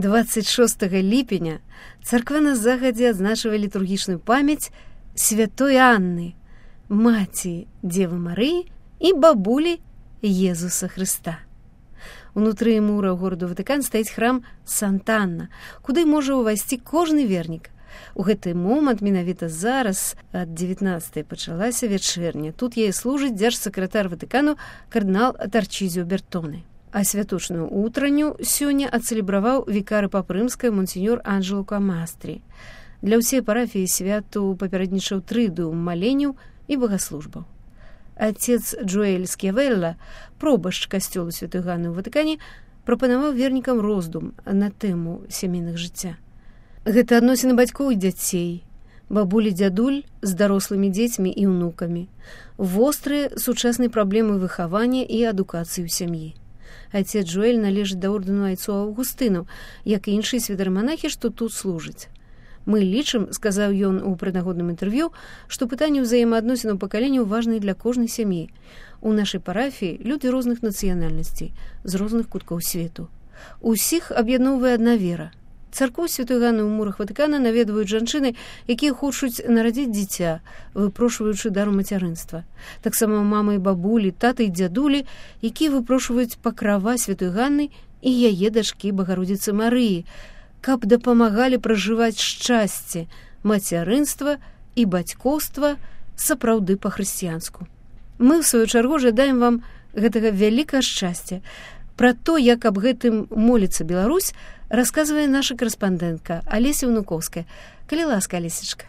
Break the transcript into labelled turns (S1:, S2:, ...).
S1: 26 ліпеня царква загадзя адзначвае літургічную памяць святой Анны, маці Дзевы Марыі і бабулі Езуса Хрыста. Унутры мураў гораду Ватыкан стаіць храм Санта-Анна, куды можа ўвайсці кожны вернік. У гэты момант, менавіта зараз, ад 19-й пачалася вячэрня. Тут яе служыць дзяржсакратар Ватыкану кардынал Тарчізіо Бертоне. А святочную утранню сёння ацэлебраваў вікары папы рымскай монсеньор Анджело Камастрі. Для ўсей парафіі святу папярэднічаў трыдыум маленняў і богаслужбаў. Отец Джоэль Скявелла, пробашч касцёлу святой Ганны ў Ватыкане, прапанаваў вернікам роздум на тэму сямейных жыцця. Гэта адносіны бацькоў і дзяцей, бабулі, дзядуль з дарослымі дзецьмі і ўнукамі, вострыя сучасныя праблемы выхавання і адукацыі ў сям'і. Отец Джоэль належыць да ордэну айцоў Аўгустынаў, як і іншыя святараманахі, што тут служаць. Мы лічым, сказаў ён у прынагодным інтэрв'ю, што пытанне ўзаемаадносінаў пакаленняў важнае для кожнай сям'і. У нашай парафіі людзі розных нацыянальнасцей, з розных куткоў свету. Усіх аб'ядноўвае адна вера. Царкву святой Ганны ў мурах Ватыкана наведваюць жанчыны, якія хочуць нарадзіць дзіця, выпрошваючы дару мацярынства. Таксама мамы і бабулі, таты і дзядулі, якія выпрошваюць пакрава святой Ганны і яе дачкі Багародзіцы Марыі, каб дапамагалі пражываць шчасце, мацярынства і бацькоўства сапраўды па-хрысціянску. Мы, ў сваю чаргу, жадаем вам гэтага вялікага шчасця. Пра то, як аб гэтым моліцца Беларусь, расказвае наша карэспандэнтка Алеся Унукоўская. Калі ласка, Алесечка.